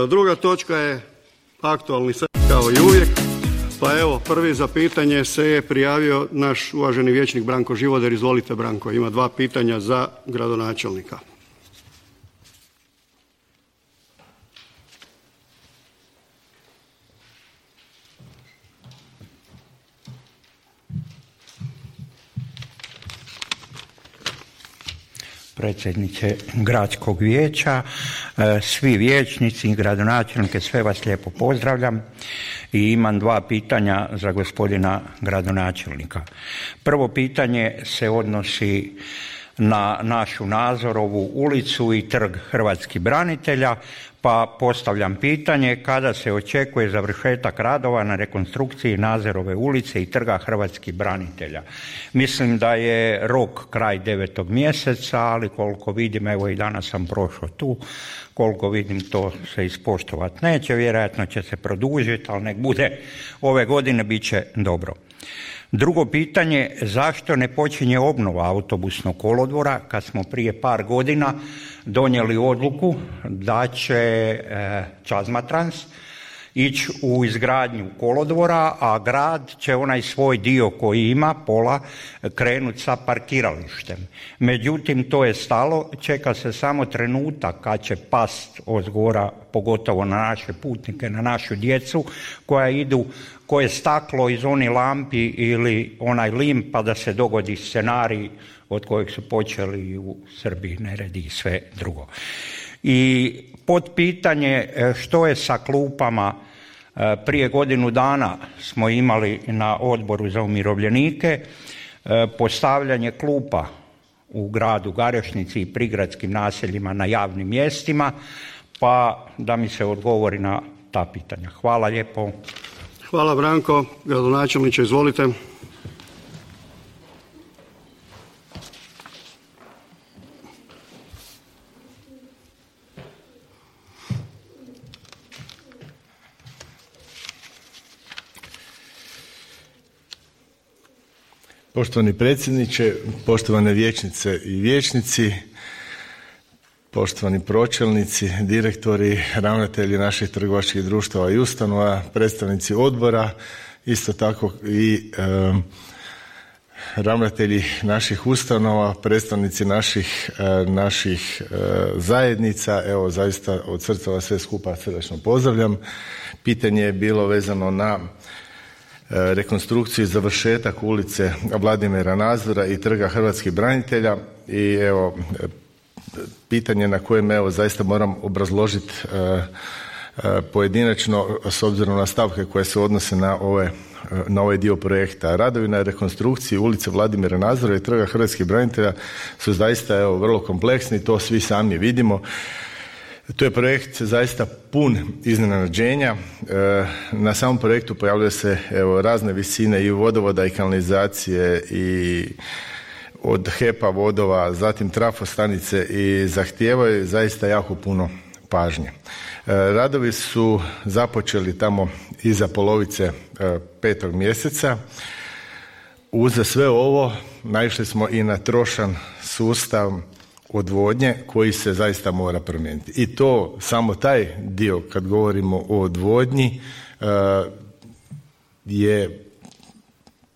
Druga točka je aktualni sat kao i uvijek. Pa evo, prvi za pitanje se je prijavio naš uvaženi vijećnik Branko Živoder. Izvolite Branko, ima 2 pitanja za gradonačelnika. Predsjedniče gradskog vijeća, svi vijećnici i gradonačelnike, sve vas lijepo pozdravljam i imam 2 pitanja za gospodina gradonačelnika. Prvo pitanje se odnosi na našu Nazorovu ulicu i trg hrvatskih branitelja, pa postavljam pitanje kada se očekuje završetak radova na rekonstrukciji Nazorove ulice i trga hrvatskih branitelja. Mislim da je rok kraj 9. mjeseca, ali koliko vidim, evo i danas sam prošao tu, koliko vidim to se ispoštovati neće, vjerojatno će se produžiti, ali nek bude ove godine, bit će dobro. Drugo pitanje, zašto ne počinje obnova autobusnog kolodvora kad smo prije par godina donijeli odluku da će Čazmatrans ići u izgradnju kolodvora, a grad će onaj svoj dio koji ima, pola, krenuti sa parkiralištem. Međutim, to je stalo, čeka se samo trenutak kad će past ozgora, pogotovo na naše putnike, na našu djecu koja idu, koje staklo iz onih lampi ili onaj lim, pa da se dogodi scenarij od kojeg su počeli u Srbiji neredi i sve drugo. I potpitanje što je sa klupama. Prije godinu dana smo imali na Odboru za umirovljenike postavljanje klupa u gradu Garešnici i prigradskim naseljima na javnim mjestima, pa da mi se odgovori na ta pitanja. Hvala lijepo. Hvala Branko. Gradonačelniče, izvolite. Poštovani predsjedniče, poštovane vijećnice i vijećnici, poštovani pročelnici, direktori, ravnatelji naših trgovačkih društava i ustanova, predstavnici odbora, isto tako i ravnatelji naših ustanova, predstavnici naših zajednica. Evo, zaista od srca vas sve skupa srdačno pozdravljam. Pitanje je bilo vezano na rekonstrukciju i završetak ulice Vladimira Nazora i trga hrvatskih branitelja i evo pitanje na kojem evo zaista moram obrazložiti pojedinačno s obzirom na stavke koje se odnose na ovaj dio projekta. Radovi na rekonstrukciji ulice Vladimira Nazora i trga hrvatskih branitelja su zaista evo vrlo kompleksni, to svi sami vidimo. To je projekt zaista pun iznenađenja. Na samom projektu pojavljaju se evo razne visine i vodovoda i kanalizacije i od HEP-a vodova, zatim trafostanice i zahtijevaju zaista jako puno pažnje. Radovi su započeli tamo iza polovice 5. mjeseca. Uz sve ovo naišli smo i na trošan sustav odvodnje koji se zaista mora promijeniti. I to samo taj dio kad govorimo o odvodnji je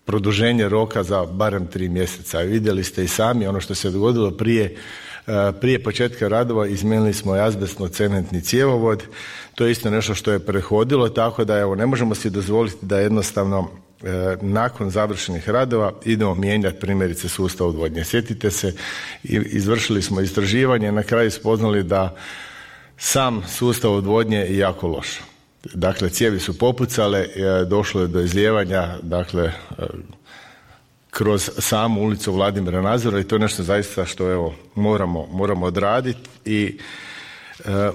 produženje roka za barem 3 mjeseca. Vidjeli ste i sami ono što se dogodilo prije početka radova, izmijenili smo azbestno-cementni cjevovod. To je isto nešto što je prethodilo, tako da evo ne možemo si dozvoliti da jednostavno nakon završenih radova idemo mijenjati primjerice sustav odvodnje. Sjetite se, izvršili smo istraživanje, na kraju spoznali da sam sustav odvodnje je jako loš. Dakle, cijevi su popucale, došlo je do izlijevanja, dakle, kroz samu ulicu Vladimira Nazora i to je nešto zaista što evo moramo odraditi i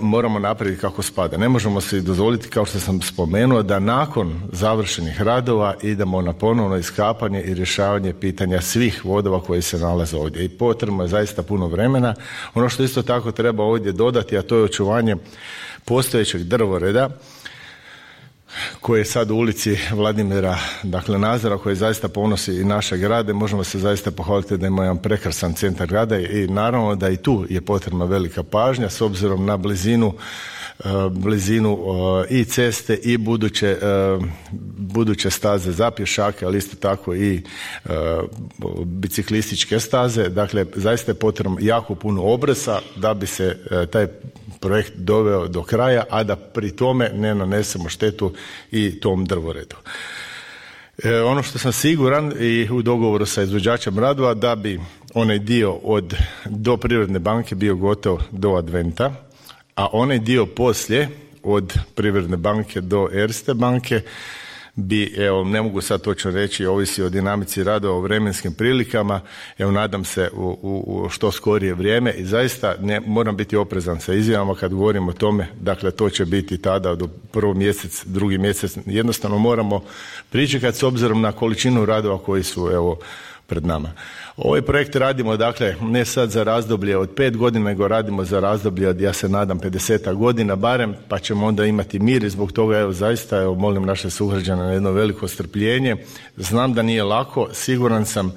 moramo napraviti kako spada. Ne možemo se dozvoliti, kao što sam spomenuo, da nakon završenih radova idemo na ponovno iskapanje i rješavanje pitanja svih vodova koji se nalaze ovdje. I potrebno je zaista puno vremena. Ono što isto tako treba ovdje dodati, a to je očuvanje postojećeg drvoreda. koji je sad u ulici Vladimira, dakle Nazora, koji zaista ponosi i naše grade. Možemo se zaista pohvaliti da ima jedan prekrasan centar grada i naravno da i tu je potrebna velika pažnja s obzirom na blizinu i ceste i buduće staze za pješake, ali isto tako i biciklističke staze. Dakle, zaista je potrebno jako puno obrasa da bi se taj projekt doveo do kraja, a da pri tome ne nanesemo štetu i tom drvoredu. Ono što sam siguran i u dogovoru sa izvođačem radova, da bi onaj dio do Privredne banke bio gotov do Adventa, a onaj dio poslije od Privredne banke do Erste banke bi, evo, ne mogu sad točno reći, ovisi o dinamici radova, o vremenskim prilikama, evo, nadam se u što skorije vrijeme i zaista moram biti oprezan sa izjavama kad govorim o tome, dakle to će biti tada do prvi mjesec, drugi mjesec, jednostavno moramo pričekati s obzirom na količinu radova koji su, evo, pred nama. Ovaj projekt radimo, dakle, ne sad za razdoblje od 5 godina, nego radimo za razdoblje od, ja se nadam, 50 godina barem, pa ćemo onda imati mir i zbog toga, evo, zaista, evo, molim naše sugrađane na jedno veliko strpljenje. Znam da nije lako, siguran sam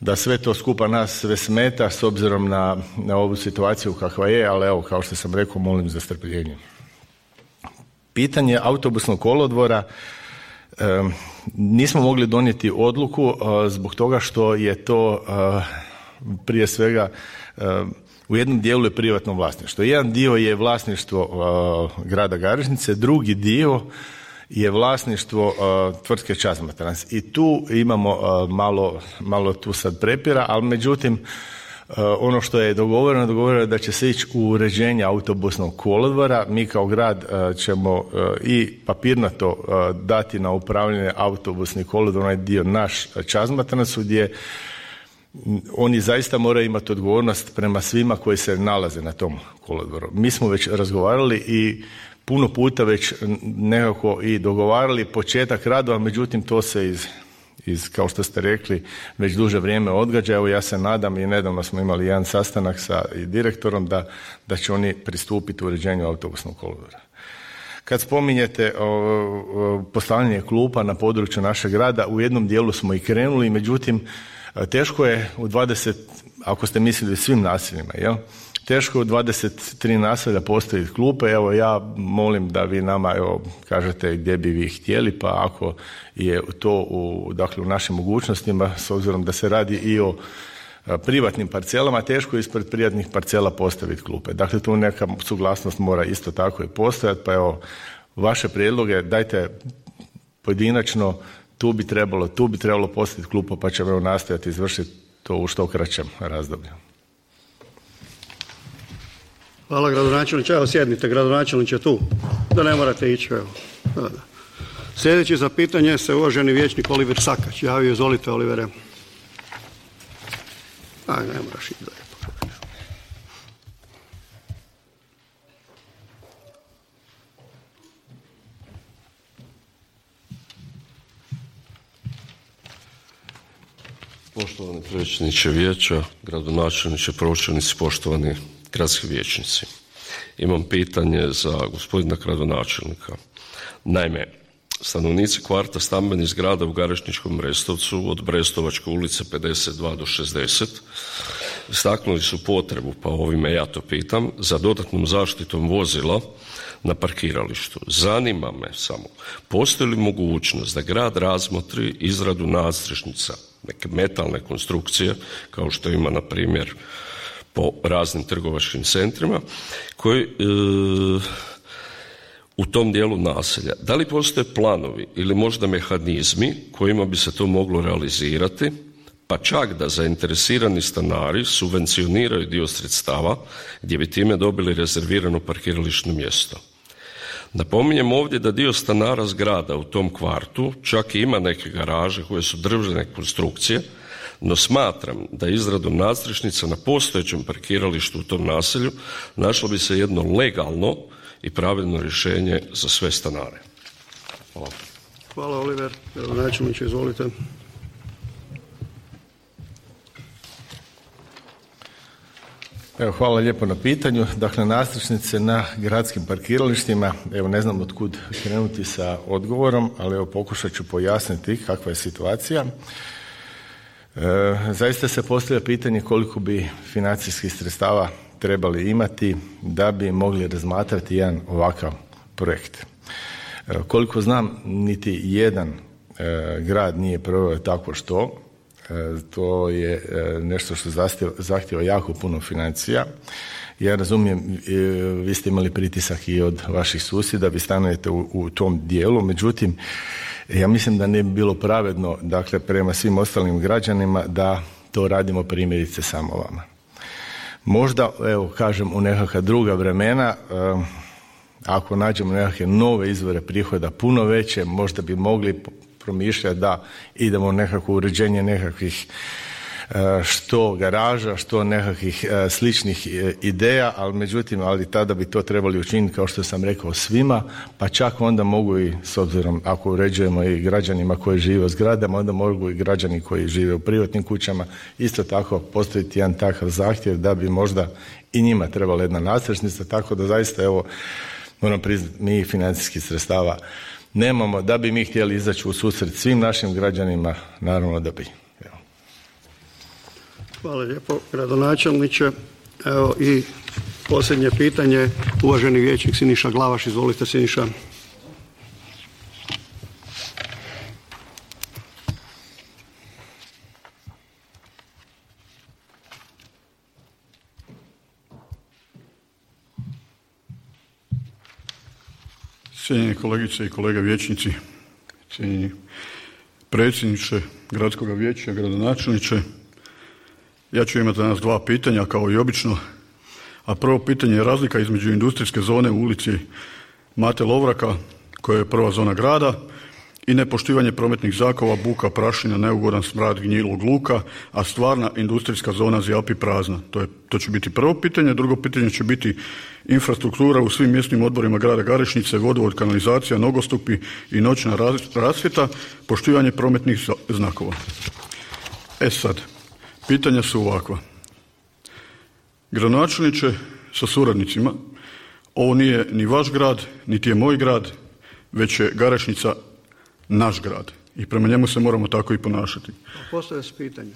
da sve to skupa nas sve smeta s obzirom na ovu situaciju kakva je, ali evo, kao što sam rekao, molim za strpljenje. Pitanje autobusnog kolodvora, nismo mogli donijeti odluku zbog toga što je to prije svega u jednom dijelu je privatno vlasništvo. Jedan dio je vlasništvo grada Garešnice, drugi dio je vlasništvo tvrtke Čazmatrans. I tu imamo malo tu sad prepira, ali međutim ono što je dogovoreno je da će se ići u uređenje autobusnog kolodvora. Mi kao grad ćemo i papirnato dati na upravljanje autobusni kolodvor, onaj dio naš Čazmatransu, gdje oni zaista moraju imati odgovornost prema svima koji se nalaze na tom kolodvoru. Mi smo već razgovarali i puno puta već nekako i dogovarali početak radova, međutim to se kao što ste rekli, već duže vrijeme odgađa. Evo, ja se nadam i nedavno smo imali jedan sastanak sa direktorom da će oni pristupiti uređenju autobusnog kolodvora. Kad spominjete postavljanje klupa na području našeg grada, u jednom dijelu smo i krenuli, međutim, teško je u 20, ako ste mislili svim naseljima, jel? Teško je u 23 naselja postaviti klupe. Evo, ja molim da vi nama, evo, kažete gdje bi vi htjeli, pa ako je to u našim mogućnostima, s obzirom da se radi i o privatnim parcelama, teško je ispred privatnih parcela postaviti klupe. Dakle, tu neka suglasnost mora isto tako i postojati, pa evo, vaše prijedloge dajte pojedinačno, tu bi trebalo postaviti klupu, pa ćemo nastojati izvršiti to u što kraćem razdoblju. Hvala, gradonačelniče. Evo, sjednite, gradonačelniče, tu, da ne morate ići. Evo. Da. Sljedeći za pitanje se uvaženi vijećnik Oliver Sakač javio. Izvolite, Olivere. Ne moraš ići dalje. Poštovani predsjedniče vijeća, gradonačelniče, pročelnici, poštovani gradski vijećnici. Imam pitanje za gospodina gradonačelnika. Naime, stanovnici kvarta stambenih zgrada u Garešničkom Brestovcu od Brestovačke ulice 52 do 60 istaknuli su potrebu, pa ovime ja to pitam, za dodatnom zaštitom vozila na parkiralištu. Zanima me samo, postoji li mogućnost da grad razmotri izradu nadstrešnica, neke metalne konstrukcije, kao što ima na primjer po raznim trgovačkim centrima, koji u tom dijelu naselja. Da li postoje planovi ili možda mehanizmi kojima bi se to moglo realizirati, pa čak da zainteresirani stanari subvencioniraju dio sredstava gdje bi time dobili rezervirano parkirališno mjesto. Napominjem ovdje da dio stanara zgrada u tom kvartu čak i ima neke garaže koje su drvene konstrukcije, no smatram da izradom nadstrešnica na postojećem parkiralištu u tom naselju našlo bi se jedno legalno i pravilno rješenje za sve stanare. Hvala. Hvala, Oliver. Načelniče, izvolite. Evo, hvala lijepo na pitanju. Dakle, nadstrešnice na gradskim parkiralištima, evo ne znam od kud krenuti sa odgovorom, ali evo pokušat ću pojasniti kakva je situacija. Zaista se postavlja pitanje koliko bi financijskih sredstava trebali imati da bi mogli razmatrati jedan ovakav projekt. Koliko znam, niti jedan grad nije proveo tako što. To je nešto što zahtjeva jako puno financija. Ja razumijem, vi ste imali pritisak i od vaših susjeda, vi stanujete u tom dijelu, međutim, ja mislim da ne bi bilo pravedno, dakle, prema svim ostalim građanima da to radimo primjerice samo vama. Možda, evo, kažem, u nekakva druga vremena, ako nađemo nekakve nove izvore prihoda puno veće, možda bi mogli promišljati da idemo u nekakvo uređenje nekakvih što garaža, što nekakvih sličnih ideja, ali tada bi to trebali učiniti, kao što sam rekao, svima, pa čak onda mogu i, s obzirom ako uređujemo i građanima koji žive u zgradama, onda mogu i građani koji žive u privatnim kućama isto tako postaviti jedan takav zahtjev da bi možda i njima trebala jedna nadstrešnica, tako da zaista, evo, moram priznati, mi financijskih sredstava nemamo, da bi mi htjeli izaći u susret svim našim građanima, naravno da bi. Evo. Hvala lijepo, gradonačelniče. Evo i posljednje pitanje, uvaženi vijećnik Siniša Glavaš. Izvolite, Siniša. Cijenjeni kolegice i kolege vijećnici, cijenjeni predsjedniče gradskog vijeća, gradonačelniče, ja ću imati danas dva pitanja kao i obično, a prvo pitanje je razlika između industrijske zone u ulici Mate Lovraka, koja je prva zona grada, i nepoštivanje prometnih znakova, buka, prašina, neugodan smrad gnjilog luka, a stvarna industrijska zona zjapi prazna. To će biti prvo pitanje. Drugo pitanje će biti infrastruktura u svim mjesnim odborima grada Garešnice, vodovod, kanalizacija, nogostupi i noćna rasvjeta, poštivanje prometnih znakova. Sad, pitanja su ovakva. Gradonačelniče sa suradnicima, ovo nije ni vaš grad, niti je moj grad, već je Garešnica naš grad i prema njemu se moramo tako i ponašati. Postavlja se pitanje.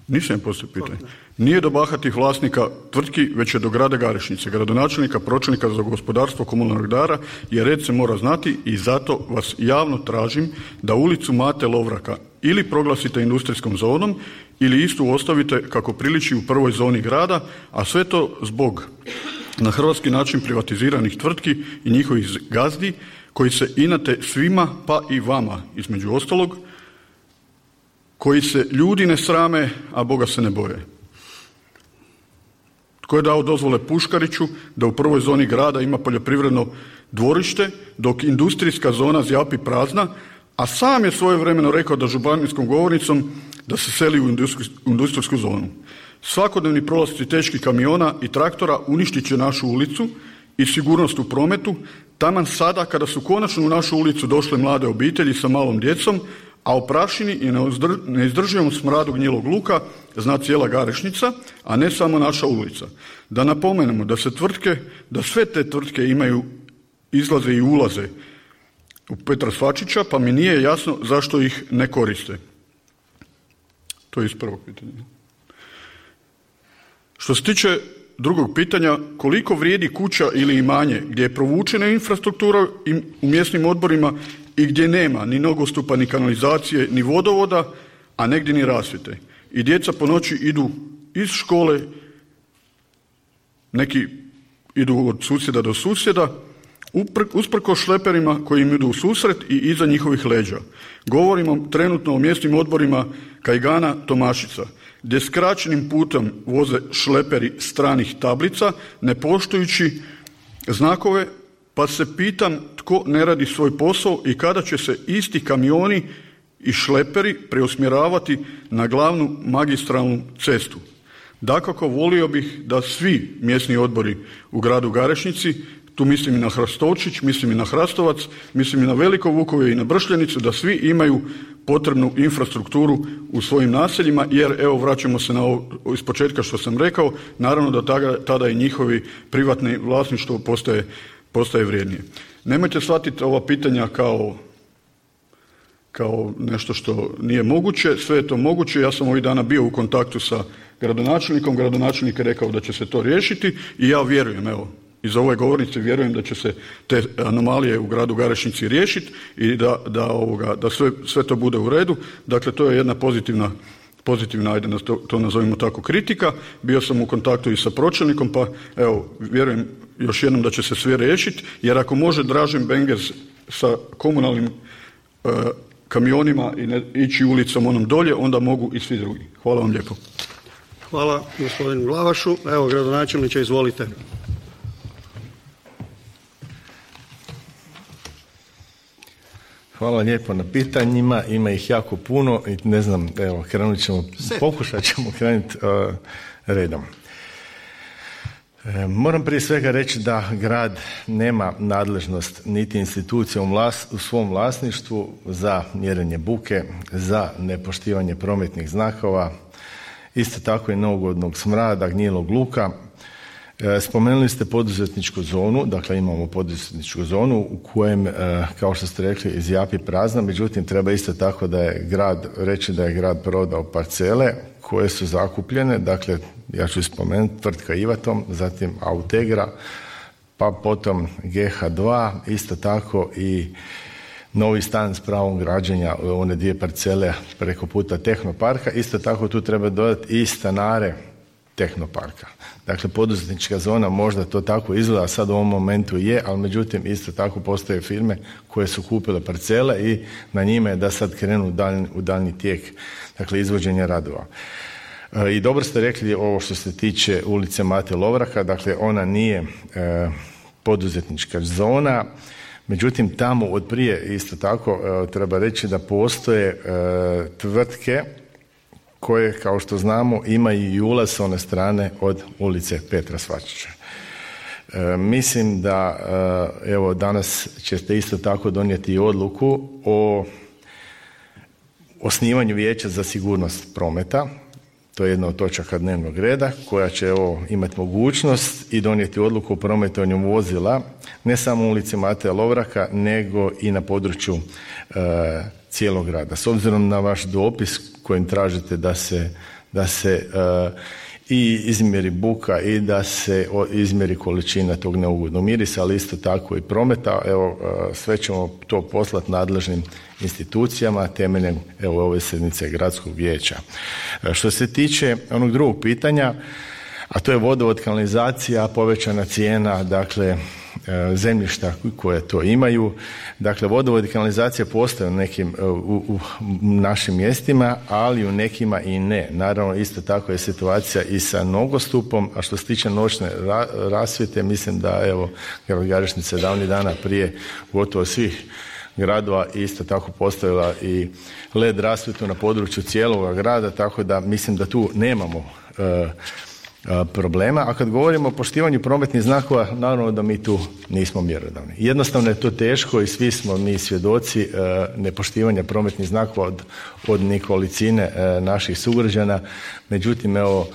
Nisam postavio pitanje. Nije do bahatih vlasnika tvrtki, već je do grada Garešnice, gradonačelnika, pročelnika za gospodarstvo, komunalnog redara, jer red se mora znati i zato vas javno tražim da ulicu Mate Lovraka ili proglasite industrijskom zonom ili istu ostavite kako priliči u prvoj zoni grada, a sve to zbog na hrvatski način privatiziranih tvrtki i njihovih gazdi koji se inate svima, pa i vama, između ostalog, koji se ljudi ne srame, a Boga se ne boje. Tko je dao dozvole Puškariću da u prvoj zoni grada ima poljoprivredno dvorište, dok industrijska zona zjapi prazna, a sam je svojevremeno rekao da županijskom govornicom da se seli u industrijsku zonu. Svakodnevni prolasci teških kamiona i traktora uništit će našu ulicu i sigurnost u prometu, taman sada kada su konačno u našu ulicu došle mlade obitelji sa malom djecom, a o prašini i neizdrživom smradu gnjilog luka zna cijela Garešnica, a ne samo naša ulica. Da napomenemo da sve te tvrtke imaju izlaze i ulaze u Petra Svačića, pa mi nije jasno zašto ih ne koriste. To je iz prvog pitanja. Što se tiče drugog pitanja, koliko vrijedi kuća ili imanje gdje je provučena infrastruktura u mjesnim odborima i gdje nema ni nogostupa, ni kanalizacije, ni vodovoda, a negdje ni rasvjete. I djeca po noći idu iz škole, neki idu od susjeda do susjeda, usprkos šleperima koji im idu u susret i iza njihovih leđa. Govorimo trenutno o mjesnim odborima Kajgana, Tomašica, gdje skraćenim putem voze šleperi stranih tablica, ne poštujući znakove, pa se pitam tko ne radi svoj posao i kada će se isti kamioni i šleperi preusmjeravati na glavnu magistralnu cestu. Dakako, volio bih da svi mjesni odbori u gradu Garešnici, tu mislim i na Hrastovčić, mislim i na Hrastovac, mislim i na Veliko Vukovje i na Bršljenicu, da svi imaju potrebnu infrastrukturu u svojim naseljima, jer evo vraćamo se na ovo iz početka što sam rekao, naravno da tada i njihovi privatni vlasništvo postaje vrijednije. Nemojte shvatiti ova pitanja kao nešto što nije moguće, sve je to moguće. Ja sam ovih dana bio u kontaktu sa gradonačelnikom, gradonačelnik je rekao da će se to riješiti i ja vjerujem, evo, iz ove govornice vjerujem da će se te anomalije u gradu Garešnici riješiti i da sve to bude u redu. Dakle, to je jedna pozitivna, ajde to nazovimo tako, kritika. Bio sam u kontaktu i sa pročelnikom, pa evo, vjerujem još jednom da će se sve riješiti, jer ako može Dražen Bengers sa komunalnim kamionima i ići ulicom onom dolje, onda mogu i svi drugi. Hvala vam lijepo. Hvala gospodinu Glavašu. Evo, gradonačelniče, izvolite. Hvala lijepo na pitanjima, ima ih jako puno i ne znam, evo, pokušat ćemo krenuti redom. Moram prije svega reći da grad nema nadležnost niti institucija u svom vlasništvu za mjerenje buke, za nepoštivanje prometnih znakova, isto tako i neugodnog smrada, gnjilog luka. Spomenuli ste poduzetničku zonu, dakle imamo poduzetničku zonu u kojem, kao što ste rekli, zjapi prazna, međutim treba isto tako reći da je grad prodao parcele koje su zakupljene, dakle ja ću spomenuti tvrtka Ivatom, zatim Autegra, pa potom GH2, isto tako i novi stan s pravom građenja, one 2 parcele preko puta Tehnoparka, isto tako tu treba dodati i stanare Tehnoparka. Dakle, poduzetnička zona možda to tako izgleda, sad u ovom momentu je, ali međutim isto tako postoje firme koje su kupile parcele i na njima je da sad krenu u daljnji tijek, dakle, izvođenja radova. I dobro ste rekli ovo što se tiče ulice Mate Lovraka, dakle ona nije poduzetnička zona, međutim tamo od prije isto tako treba reći da postoje tvrtke koje, kao što znamo, imaju i ulaz s one strane od ulice Petra Svačića. Mislim da evo danas ćete isto tako donijeti odluku o osnivanju vijeća za sigurnost prometa. To je jedna od točaka dnevnog reda koja će imati mogućnost i donijeti odluku o prometovanju vozila ne samo u ulici Mateja Lovraka nego i na području cijelog grada. S obzirom na vaš dopis kojim tražite da se i izmjeri buka i da se izmjeri količina tog neugodnog mirisa, ali isto tako i prometa, evo sve ćemo to poslati nadležnim institucijama temeljem ove sjednice gradskog vijeća. Što se tiče onog drugog pitanja, a to je vodovod, kanalizacija, povećana cijena, dakle zemljišta koje to imaju. Dakle, vodovod i kanalizacija postoje u nekim u našim mjestima, ali u nekima i ne. Naravno, isto tako je situacija i sa nogostupom, a što se tiče noćne rasvjete, mislim da evo grad Garešnica davnih dana prije gotovo svih gradova isto tako postavila i LED rasvjetu na području cijelog grada, tako da mislim da tu nemamo problema. A kad govorimo o poštivanju prometnih znakova, naravno da mi tu nismo mjerodavni. Jednostavno je to teško i svi smo mi svjedoci nepoštivanja prometnih znakova od nekolicine naših sugrađana. Međutim, evo,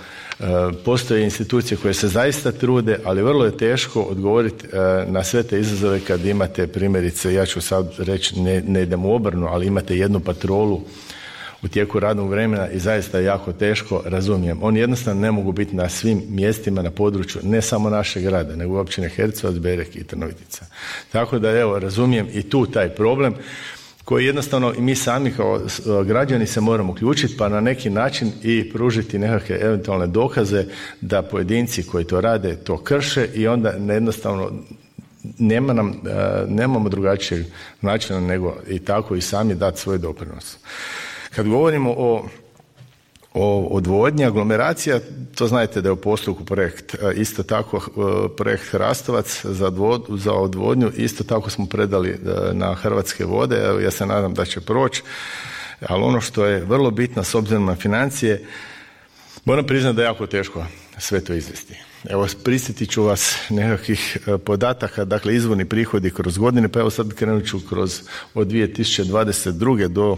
postoje institucije koje se zaista trude, ali vrlo je teško odgovoriti na sve te izazove kad imate primjerice, ja ću sad reći, ne idem u obrnu, ali imate jednu patrolu u tijeku radnog vremena i zaista je jako teško, razumijem. Oni jednostavno ne mogu biti na svim mjestima na području ne samo našeg grada, nego općine Hercevac, Berek i Trnovitica. Tako da evo, razumijem i tu taj problem koji jednostavno i mi sami kao građani se moramo uključiti pa na neki način i pružiti nekakve eventualne dokaze da pojedinci koji to rade to krše i onda jednostavno nemamo drugačijeg načina nego i tako i sami dati svoj doprinos. Kad govorimo o odvodnji, aglomeracija, to znate da je u postupku projekt, isto tako projekt Hrastovac za odvodnju, isto tako smo predali na Hrvatske vode, evo, ja se nadam da će proći, ali ono što je vrlo bitno s obzirom na financije, Moram priznati da je jako teško sve to izvesti. Evo, prisjetit ću vas nekakvih podataka, dakle izvorni prihodi kroz godine, pa evo sad krenut ću od 2022. do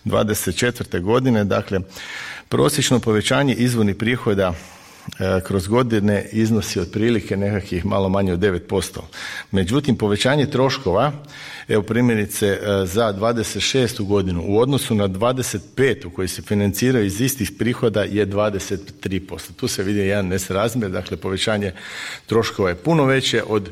2024. godine, dakle prosječno povećanje izvornih prihoda kroz godine iznosi otprilike nekakvih malo manje od 9%. Međutim, povećanje troškova, evo primjerice za 26. godinu u odnosu na 25. koji se financiraju iz istih prihoda je 23%. Tu se vidi jedan nesrazmjer, dakle povećanje troškova je puno veće od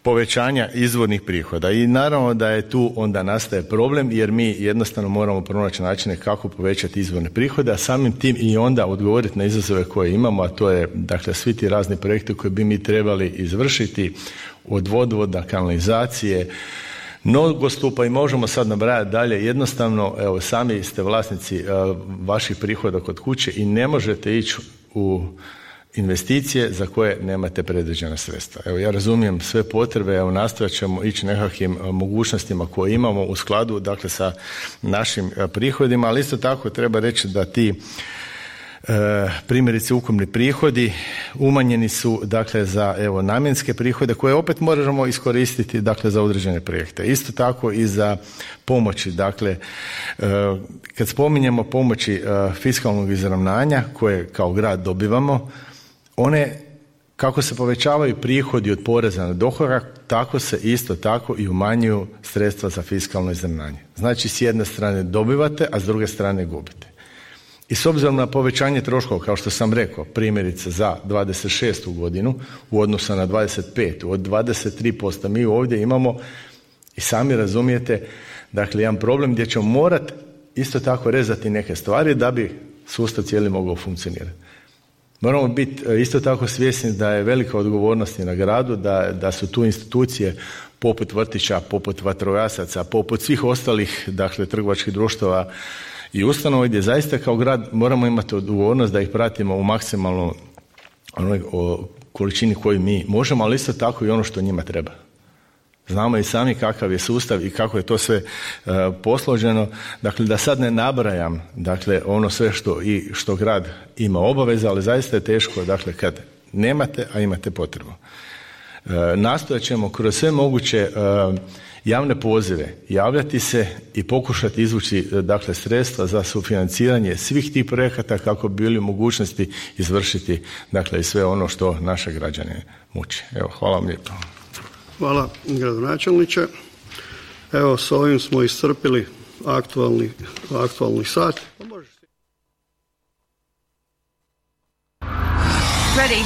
povećanja izvornih prihoda i naravno da je tu onda nastaje problem jer mi jednostavno moramo pronaći načine kako povećati izvorne prihode, a samim tim i onda odgovoriti na izazove koje imamo, a to je dakle svi ti razni projekti koje bi mi trebali izvršiti od vodovoda, kanalizacije, nogostupa i možemo sad nabrajati dalje. Jednostavno, evo sami ste vlasnici vaših prihoda kod kuće i ne možete ići u investicije za koje nemate predviđena sredstva. Evo, ja razumijem sve potrebe, evo nastojat ćemo ići nekakvim mogućnostima koje imamo u skladu, dakle, sa našim prihodima, ali isto tako treba reći da ti primjerice ukupni prihodi umanjeni su, dakle, za evo namjenske prihode koje opet možemo iskoristiti, dakle, za određene projekte. Isto tako i za pomoći, dakle, kad spominjemo pomoći fiskalnog izravnanja koje kao grad dobivamo, one, kako se povećavaju prihodi od poreza na dohodak, tako se isto tako i umanjuju sredstva za fiskalno izravnanje. Znači, s jedne strane dobivate, a s druge strane gubite. I s obzirom na povećanje troškova, kao što sam rekao, primjerice za 26. godinu u odnosu na 25. od 23%, mi ovdje imamo, i sami razumijete, dakle, jedan problem gdje ćemo morati isto tako rezati neke stvari da bi sustav cijeli mogao funkcionirati. Moramo biti isto tako svjesni da je velika odgovornost i na gradu, da su tu institucije poput vrtića, poput vatrogasaca, poput svih ostalih, dakle, trgovačkih društava i ustanova gdje zaista kao grad moramo imati odgovornost da ih pratimo u maksimalnoj količini koju mi možemo, ali isto tako i ono što njima treba. Znamo i sami kakav je sustav i kako je to sve posloženo. Dakle, da sad ne nabrajam, dakle, ono sve što grad ima obaveza, ali zaista je teško, dakle, kad nemate, a imate potrebu. Nastojat ćemo kroz sve moguće javne pozive javljati se i pokušati izvući, dakle, sredstva za sufinanciranje svih tih projekata kako bi bili u mogućnosti izvršiti, dakle, i sve ono što naše građane muči. Evo, hvala vam lijepo. Hvala, gradonačelniče. Evo, s ovim smo iscrpili aktualni sat. Ready.